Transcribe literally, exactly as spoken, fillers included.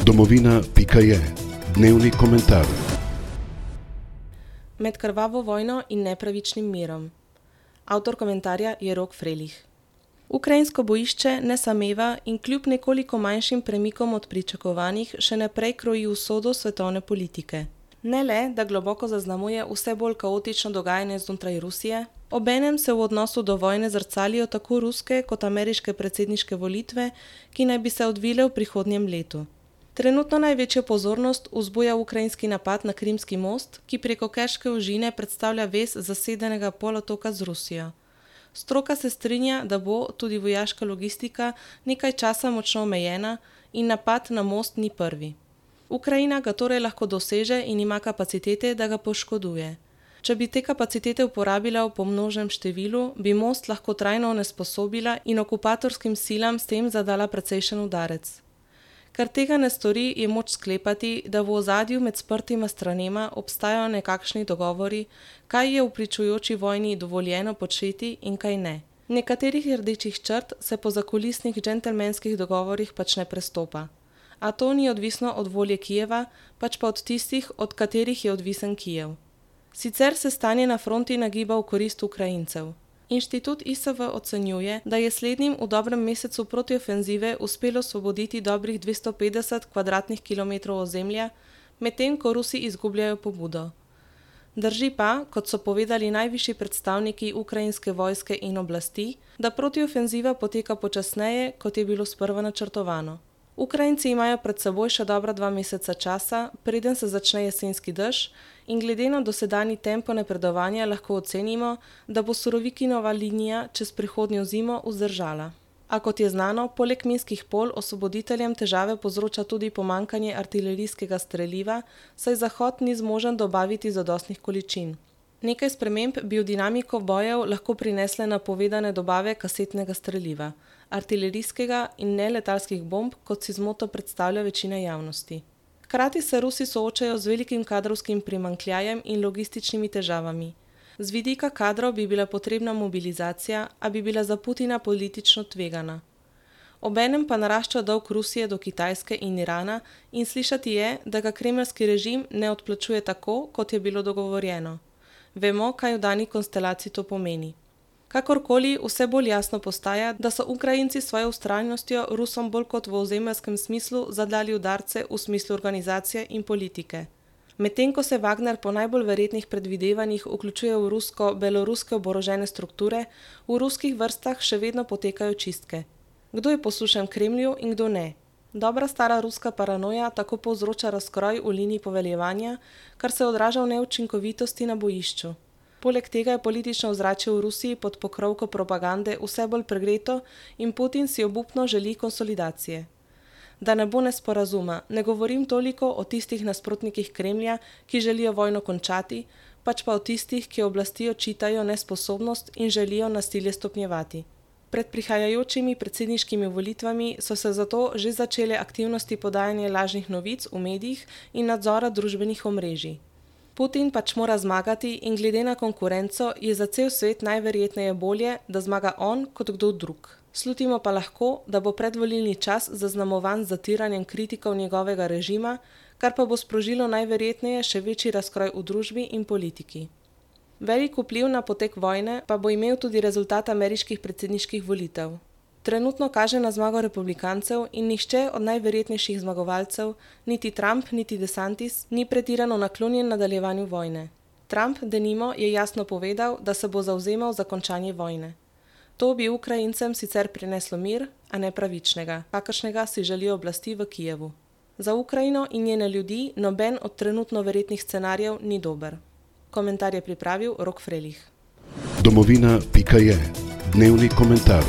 Domovina pika je dnevni komentar. Med krvavo vojno in nepravičnim mirom. Avtor komentarja je Rok Frelih. Ukrajinsko bojišče ne sameva in kljub nekoliko manjšim premikom od pričakovanih še naprej kroji usodo svetovne politike. Ne le, da globoko zaznamuje vse bolj kaotično dogajanje znotraj Rusije, obenem se v odnosu do vojne zrcalijo tako ruske kot ameriške predsedniške volitve, ki naj bi se odvile v prihodnjem letu. Trenutno največjo pozornost vzbuja ukrajinski napad na Krimski most, ki preko Kerške ožine predstavlja vez zasedenega polotoka z Rusijo. Stroka se strinja, da bo tudi vojaška logistika nekaj časa močno omejena in napad na most ni prvi. Ukrajina ga torej lahko doseže in ima kapacitete, da ga poškoduje. Če bi te kapacitete uporabila v pomnožnem številu, bi most lahko trajno onesposobila in okupatorskim silam s tem zadala precejšen udarec. Ker tega ne stori, je moč sklepati, da v ozadju med sprtima stranema obstajajo nekakšni dogovori, kaj je v pričujoči vojni dovoljeno početi in kaj ne. Nekaterih rdečih črt se po zakulisnih džentelmenskih dogovorih pač ne prestopa. A to ni odvisno od volje Kijeva, pač pa od tistih, od katerih je odvisen Kijev. Sicer se stanje na fronti nagiba v korist Ukrajincev. Inštitut I S V ocenjuje, da je slednjim v dobrem mesecu protiofenzive uspelo osvoboditi dobrih dvesto petdeset kvadratnih kilometrov ozemlja, medtem ko Rusi izgubljajo pobudo. Drži pa, kot so povedali najvišji predstavniki ukrajinske vojske in oblasti, da protiofenziva poteka počasneje, kot je bilo sprva načrtovano. Ukrajinci imajo pred seboj še dobra dva meseca časa, preden se začne jesenski dež, in glede na dosedanji tempo napredovanja lahko ocenimo, da bo Surovikinova linija čez prihodnjo zimo vzdržala. A kot je znano, poleg minskih polj osvoboditeljem težave povzroča tudi pomanjkanje artilerijskega streliva, saj Zahod ni zmožen dobaviti zadostnih količin. Nekaj sprememb bi v dinamiko bojev lahko prinesle napovedane dobave kasetnega streliva, artilerijskega in neletalskih bomb, kot si zmoto predstavlja večina javnosti. Hkrati se Rusi soočajo z velikim kadrovskim primanjkljajem in logističnimi težavami. Z vidika kadrov bi bila potrebna mobilizacija, a bi bila za Putina politično tvegana. Obenem pa narašča dolg Rusije do Kitajske in Irana in slišati je, da ga kremeljski režim ne odplačuje tako, kot je bilo dogovorjeno. Vemo, kaj v dani konstelaciji to pomeni. Kakorkoli, vse bolj jasno postaja, da so Ukrajinci s svojo vztrajnostjo Rusom bolj kot v ozemeljskem smislu zadali udarce v smislu organizacije in politike. Medtem ko se Wagner po najbolj verjetnih predvidevanjih vključuje v rusko-beloruske oborožene strukture, v ruskih vrstah še vedno potekajo čistke. Kdo je poslušen Kremlju in kdo ne? Dobra stara ruska paranoja tako povzroča razkroj v liniji poveljevanja, kar se odraža v neučinkovitosti na bojišču. Poleg tega je politično ozračje v Rusiji pod pokrovko propagande vse bolj pregreto in Putin si obupno želi konsolidacije. Da ne bo nesporazuma, ne govorim toliko o tistih nasprotnikih Kremlja, ki želijo vojno končati, pač pa o tistih, ki oblasti očitajo nesposobnost in želijo nasilje stopnjevati. Pred prihajajočimi predsedniškimi volitvami so se zato že začele aktivnosti podajanja lažnih novic v medijih in nadzora družbenih omrežij. Putin pač mora zmagati in glede na konkurenco je za cel svet najverjetneje bolje, da zmaga on kot kdo drug. Slutimo pa lahko, da bo predvolilni čas zaznamovan z zatiranjem kritikov njegovega režima, kar pa bo sprožilo najverjetneje še večji razkroj v družbi in politiki. Velik vpliv na potek vojne pa bo imel tudi rezultat ameriških predsedniških volitev. Trenutno kaže na zmago republikancev in nihče od najverjetnejših zmagovalcev, niti Trump niti DeSantis, ni pretirano naklonjen nadaljevanju vojne. Trump, denimo, je jasno povedal, da se bo zavzemal za končanje vojne. To bi Ukrajincem sicer prineslo mir, a ne pravičnega, kakršnega si želijo oblasti v Kijevu. Za Ukrajino in njene ljudi noben od trenutno verjetnih scenarijev ni dober. Komentar je pripravil Rok Frelih. Domovina pika je dnevni komentar.